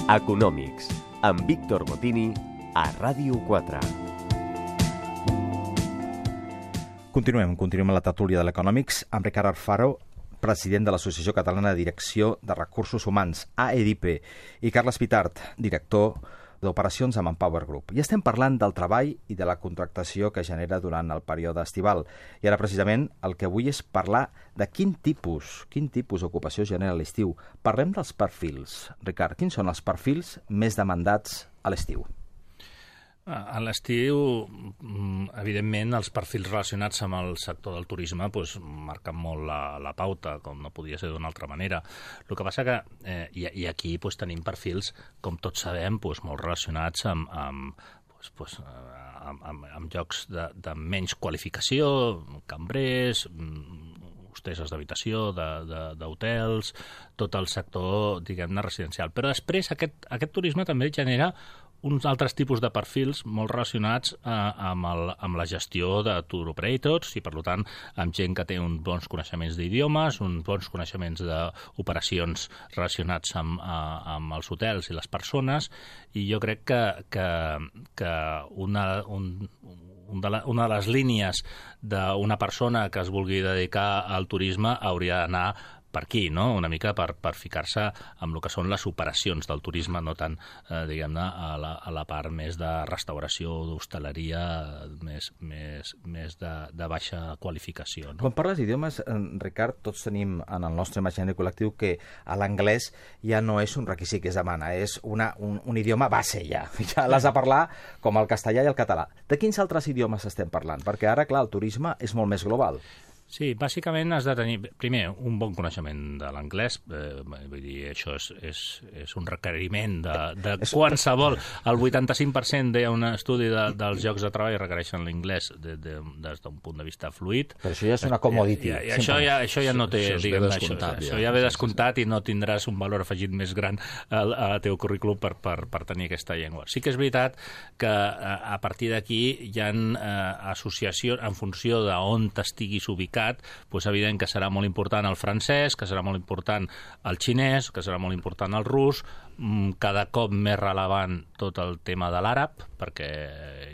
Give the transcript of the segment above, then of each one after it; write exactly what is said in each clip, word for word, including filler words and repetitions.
Econòmics, amb Víctor Botini, a Ràdio quatre. Continuem, continuem a la tertúlia de l'Econòmics amb Ricard Alfaro, president de l'Associació Catalana de Direcció de Recursos Humans, A E D I P E, i Carles Pitart, director d'operacions amb Empower Group. I estem parlant del treball i de la contractació que genera durant el període estival. I ara, precisament, el que vull és parlar de quin tipus, quin tipus d'ocupació genera l'estiu. Parlem dels perfils. Ricard, quins són els perfils més demandats a l'estiu? A l'estiu, evidentment, els perfils relacionats amb el sector del turisme doncs, marquen molt la, la pauta, com no podia ser d'una altra manera. El que passa que, eh, i, i aquí doncs, tenim perfils, com tots sabem, doncs, molt relacionats amb, amb, doncs, doncs, amb, amb, amb llocs de, de menys qualificació, cambrers, hosteses d'habitació, d'hotels, tot el sector, diguem-ne, residencial. Però després aquest, aquest turisme també genera uns altres tipus de perfils molt relacionats eh, amb, el, amb la gestió de tour operators i, per tant, amb gent que té uns bons coneixements d'idiomes, uns bons coneixements d'operacions relacionats amb, eh, amb els hotels i les persones, i jo crec que, que, que una, un, un de la, una de les línies d'una persona que es vulgui dedicar al turisme hauria d'anar per aquí, no? Una mica per, per ficar-se amb el que són les operacions del turisme, no tant, eh, diguem-ne, a, la, a la part més de restauració, d'hostaleria, més, més, més de, de baixa qualificació. No? Quan parles d'idiomes, Ricard, tots tenim en el nostre imaginari col·lectiu que l'anglès ja no és un requisit que es demana, és una, un, un idioma base ja. Ja l'has de parlar com el castellà i el català. De quins altres idiomes estem parlant? Perquè ara, clar, el turisme és molt més global. Sí, bàsicament has de tenir, primer, un bon coneixement de l'anglès, eh, vull dir, això és, és, és un requeriment de, de qualsevol. El vuitanta-cinc per cent d'un estudi de, dels llocs de treball requereixen l'inglès de, de, des d'un punt de vista fluid. Però això ja és una commodity. I, i, i això, ja, això ja no té, això, diguem, això, això, ja. això ja ve descomptat i no tindràs un valor afegit més gran al, al teu currículum per, per, per tenir aquesta llengua. Sí que és veritat que a partir d'aquí hi ha eh, associacions en funció d'on t'estiguis ubicat, doncs evident que serà molt important el francès, que serà molt important el xinès, que serà molt important el rus, cada cop més relevant tot el tema de l'àrab, perquè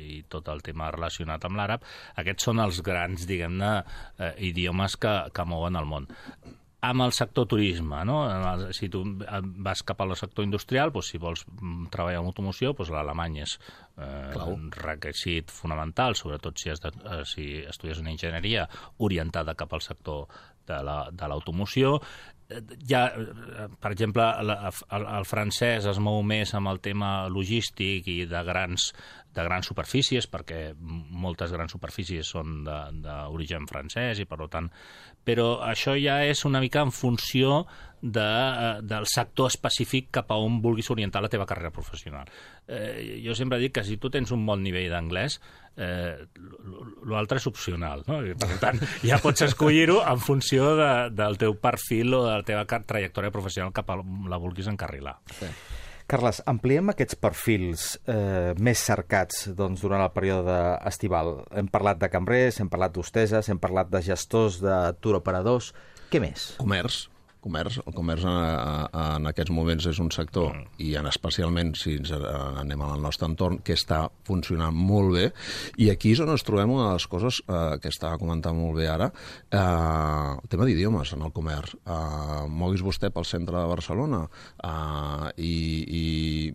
i tot el tema relacionat amb l'àrab. Aquests són els grans, diguem-ne, eh, idiomes que, que mouen el món. Amb el sector turisme, no? Si tu vas cap al sector industrial, doncs si vols treballar en automoció, doncs l'alemany és eh, un requisit fonamental, sobretot si, has de, eh, si estudies una enginyeria orientada cap al sector de l'automoció. Ja, per exemple, el, el, el francès es mou més amb el tema logístic i de grans, de grans superfícies, perquè moltes grans superfícies són d'origen francès i, per tant, però això ja és una mica en funció de, del sector específic cap a on vulguis orientar la teva carrera professional. Eh, jo sempre dic que si tu tens un bon nivell d'anglès, eh, l'altre és opcional, no? I, per tant, ja pots escollir-ho en funció de, del teu perfil o de la teva trajectòria professional cap a la vulguis encarrilar. Sí. Carles, ampliem aquests perfils eh, més cercats doncs, durant el període estival. Hem parlat de cambrers, hem parlat d'hosteses, hem parlat de gestors de tour operadors. Què més? Comerç. Comerç. El comerç en, en aquests moments és un sector, mm. i en especialment si ens anem al nostre entorn, que està funcionant molt bé, i aquí és on ens trobem una de les coses eh, que estava comentant molt bé ara, eh, el tema d'idiomes en el comerç. Eh, moguis vostè pel centre de Barcelona eh, i, i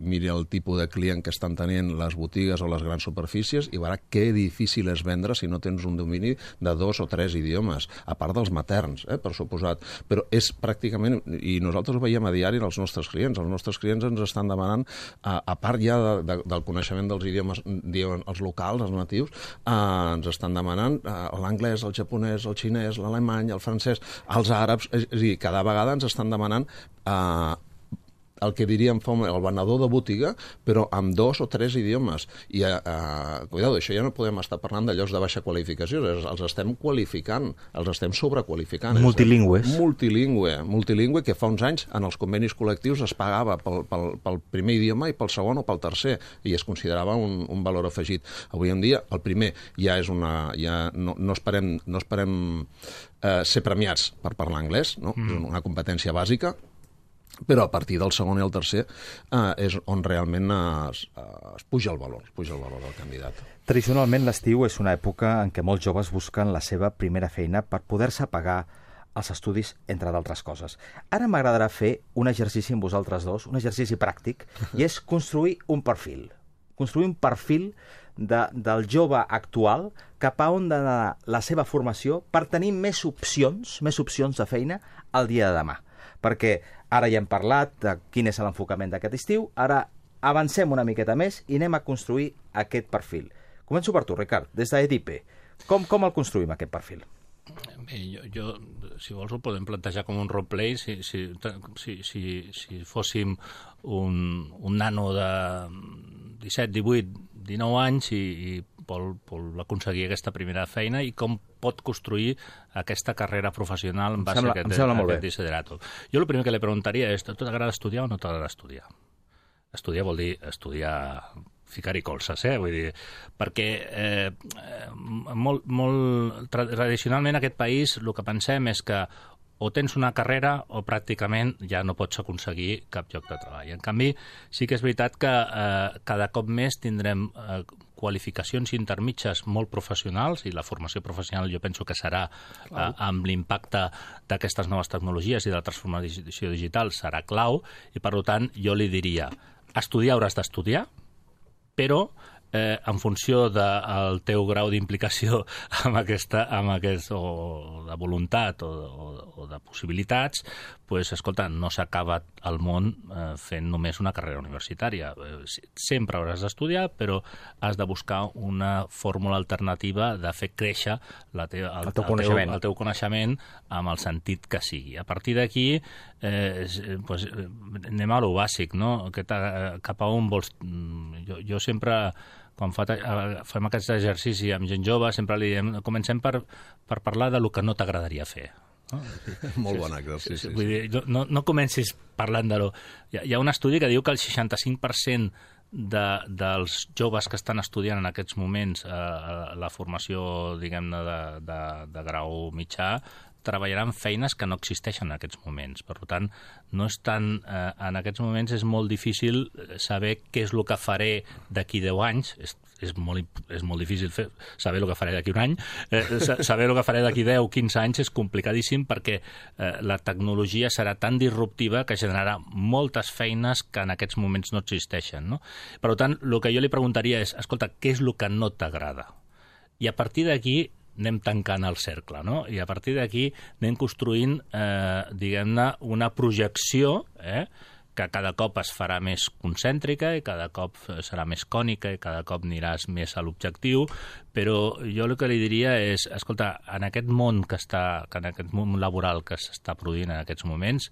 miri el tipus de client que estan tenint les botigues o les grans superfícies i veurà que difícil és vendre si no tens un domini de dos o tres idiomes, a part dels materns, eh, per suposat. Però és pràcticament pràcticament, i nosaltres ho veiem a diari als nostres clients. Els nostres clients ens estan demanant, a, a part ja de, de, del coneixement dels idiomes, diuen els locals, els natius, eh, ens estan demanant eh, l'anglès, el japonès, el xinès, l'alemany, el francès, els àrabs, és, és a dir, cada vegada ens estan demanant eh, el que diríem el venedor de botiga, però amb dos o tres idiomes. I, eh, cuidado, això ja no podem estar parlant de llocs de baixa qualificació, els estem qualificant, els estem sobrequalificant. Multilingües. Multilingüe, multilingüe que fa uns anys en els convenis col·lectius es pagava pel, pel, pel primer idioma i pel segon o pel tercer, i es considerava un, un valor afegit. Avui en dia, el primer ja és una... Ja no, no esperem, no esperem eh, ser premiats per parlar anglès, no? Mm. És una competència bàsica. però a partir del segon i el tercer eh, és on realment es, es puja el valor, es puja el valor del candidat. Tradicionalment l'estiu és una època en què molts joves busquen la seva primera feina per poder-se pagar els estudis, entre d'altres coses. Ara m'agradarà fer un exercici amb vosaltres dos, un exercici pràctic, i és construir un perfil. Construir un perfil de, del jove actual cap a on d'anar la seva formació per tenir més opcions, més opcions de feina el dia de demà. Perquè ara ja hem parlat de quin és l'enfocament d'aquest estiu, ara avancem una miqueta més i anem a construir aquest perfil. Començo per tu, Ricard, des d'Edipe. Com, com el construïm, aquest perfil? Bé, jo, jo, si vols, ho podem plantejar com un roleplay. Si, si, si, si, si fóssim un, un nano de disset, divuit, dinou anys i, i vol, vol aconseguir aquesta primera feina i com pot construir aquesta carrera professional en base sembla, a aquest, a aquest desiderato. Jo el primer que li preguntaria és, t'agrada estudiar o no t'agrada estudiar? Estudiar vol dir estudiar, ficar-hi colzes, eh? Vull dir, perquè eh, molt, molt tradicionalment en aquest país el que pensem és que o tens una carrera o pràcticament ja no pots aconseguir cap lloc de treball. En canvi, sí que és veritat que eh, cada cop més tindrem eh, qualificacions intermitges molt professionals i la formació professional jo penso que serà, eh, amb l'impacte d'aquestes noves tecnologies i de la transformació digital, serà clau i, per tant, jo li diria, estudiar hauràs d'estudiar, però eh, en funció del teu grau d'implicació amb aquesta, amb aquest, o de voluntat o, o, o de possibilitats, pues, escolta, no s'acaba el món eh, fent només una carrera universitària. Eh, sempre hauràs d'estudiar, però has de buscar una fórmula alternativa de fer créixer la te el, el, teu el, teu, el teu coneixement amb el sentit que sigui. A partir d'aquí, eh, pues, anem a lo bàsic, no? Aquest, cap a on vols... Jo, jo sempre... Quan fa, fem aquest exercici amb gent jove, sempre li diem, comencem per, per parlar de lo que no t'agradaria fer. No? Molt bon exercici. Vull dir, no, no comencis parlant de lo... Hi ha, hi ha un estudi que diu que el seixanta-cinc per cent de, dels joves que estan estudiant en aquests moments eh, la formació, diguem-ne, de, de, de grau mitjà, treballaran feines que no existeixen en aquests moments. Per tant, no és tan, eh, en aquests moments és molt difícil saber què és el que faré d'aquí deu anys. És, és, molt, és molt difícil fer, saber el que faré d'aquí un any. Eh, saber el que faré d'aquí deu, quinze anys és complicadíssim perquè eh, la tecnologia serà tan disruptiva que generarà moltes feines que en aquests moments no existeixen. No? Per tant, el que jo li preguntaria és, escolta, què és el que no t'agrada? I a partir d'aquí anem tancant el cercle, no? I a partir d'aquí anem construint, eh, diguem-ne, una projecció, eh, que cada cop es farà més concèntrica i cada cop serà més cònica i cada cop aniràs més a l'objectiu, però jo el que li diria és, escolta, en aquest món que està, que en aquest món laboral que s'està produint en aquests moments,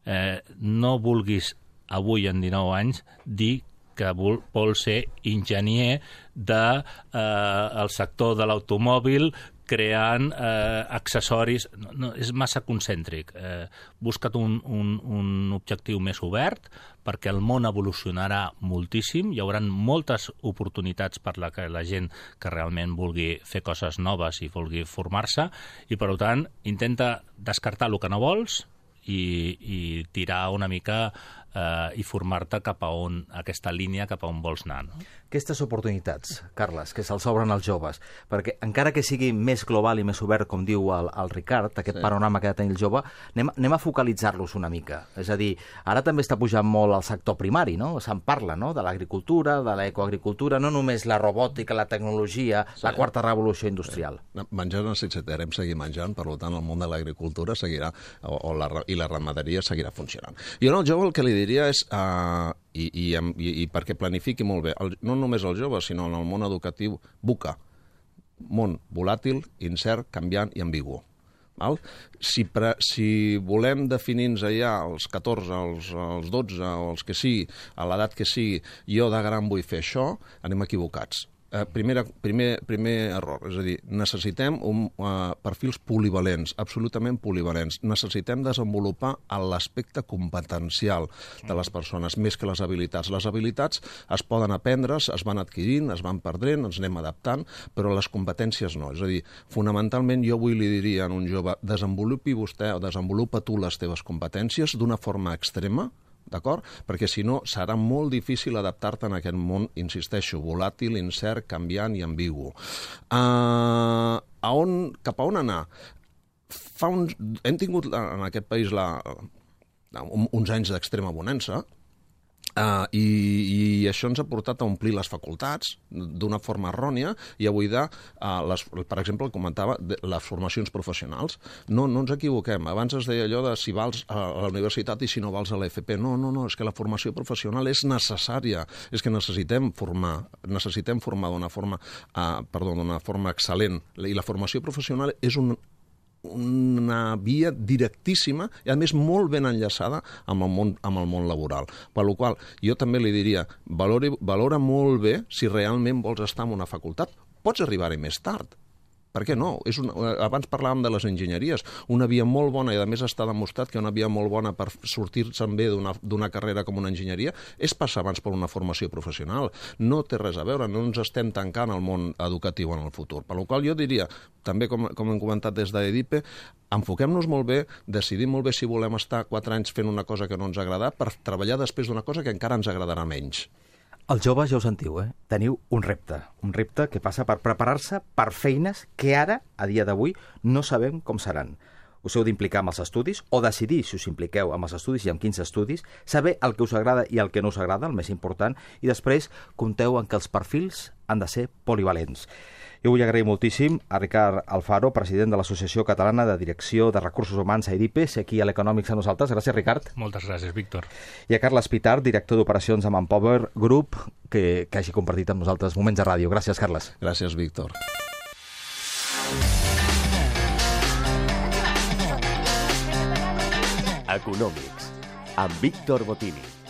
eh, no vulguis avui en dinou anys dir que vol, vol ser enginyer del de, eh, sector de l'automòbil creant eh, accessoris. No, no, és massa concèntric. Eh, busca't un, un, un objectiu més obert perquè el món evolucionarà moltíssim. Hi haurà moltes oportunitats per la que la gent que realment vulgui fer coses noves i vulgui formar-se i, per tant, intenta descartar el que no vols i, i tirar una mica eh, i formar-te cap a on, aquesta línia cap a on vols anar. No? Aquestes oportunitats, Carles, que se'ls obren als joves, perquè encara que sigui més global i més obert, com diu el, el Ricard, aquest sí. panorama que ha de tenir el jove, anem, anem a focalitzar-los una mica. És a dir, ara també està pujant molt el sector primari, no? Se'n parla, no?, de l'agricultura, de l'ecoagricultura, no només la robòtica, la tecnologia, sí. la quarta revolució industrial. Sí. Menjar necessitarem seguir menjant, per tant, el món de l'agricultura seguirà, o, o la, i la ramaderia seguirà funcionant. Jo no, el jove el que li diria és... Uh, I, i, i, i perquè planifiqui molt bé, el, no només el jove, sinó en el món educatiu, buca. Món volàtil, incert, canviant i ambigu. Val? Si, pre, si volem definir-nos allà als catorze, als, als dotze, o els que sigui, a l'edat que sigui, jo de gran vull fer això, anem equivocats. eh, primera, primer, primer error, és a dir, necessitem un, uh, perfils polivalents, absolutament polivalents. Necessitem desenvolupar l'aspecte competencial de les persones, més que les habilitats. Les habilitats es poden aprendre, es van adquirint, es van perdent, ens anem adaptant, però les competències no. És a dir, fonamentalment jo avui li diria a un jove, desenvolupi vostè o desenvolupa tu les teves competències d'una forma extrema, d'acord? Perquè si no serà molt difícil adaptar-te en aquest món, insisteixo, volàtil, incert, canviant i ambigu. Uh, a on, cap a on anar? Fa uns, hem tingut en aquest país la, uns anys d'extrema bonança, Uh, i, i això ens ha portat a omplir les facultats d'una forma errònia i a buidar, uh, les, per exemple, comentava, de, les formacions professionals. No, no ens equivoquem. Abans es deia allò de si vals a la universitat i si no vals a l'F P. No, no, no, és que la formació professional és necessària. És que necessitem formar, necessitem formar d'una forma, uh, perdó, d'una forma excel·lent. I la formació professional és un una via directíssima i, a més, molt ben enllaçada amb el món, amb el món laboral. Per la qual jo també li diria, valori, valora molt bé si realment vols estar en una facultat. Pots arribar-hi més tard. Per què no? És una, abans parlàvem de les enginyeries. Una via molt bona, i a més està demostrat que una via molt bona per sortir-se'n bé d'una carrera com una enginyeria és passar abans per una formació professional. No té res a veure, no ens estem tancant al món educatiu en el futur. Per la qual jo diria, també com, com hem comentat des d'EDIPE, enfoquem-nos molt bé, decidim molt bé si volem estar quatre anys fent una cosa que no ens agrada per treballar després d'una cosa que encara ens agradarà menys. Els joves ja ho sentiu, eh? Teniu un repte, un repte que passa per preparar-se per feines que ara, a dia d'avui, no sabem com seran. Us heu d'implicar amb els estudis o decidir si us impliqueu amb els estudis i amb quins estudis, saber el que us agrada i el que no us agrada, el més important, i després compteu en que els perfils han de ser polivalents. Jo vull agrair moltíssim a Ricard Alfaro, president de l'Associació Catalana de Direcció de Recursos Humans a EDIPE, ser aquí a l'Econòmics a nosaltres. Gràcies, Ricard. Moltes gràcies, Víctor. I a Carles Pitart, director d'operacions a Manpower Group, que, que hagi compartit amb nosaltres moments de ràdio. Gràcies, Carles. Gràcies, Víctor. Econòmics, amb Víctor Botini.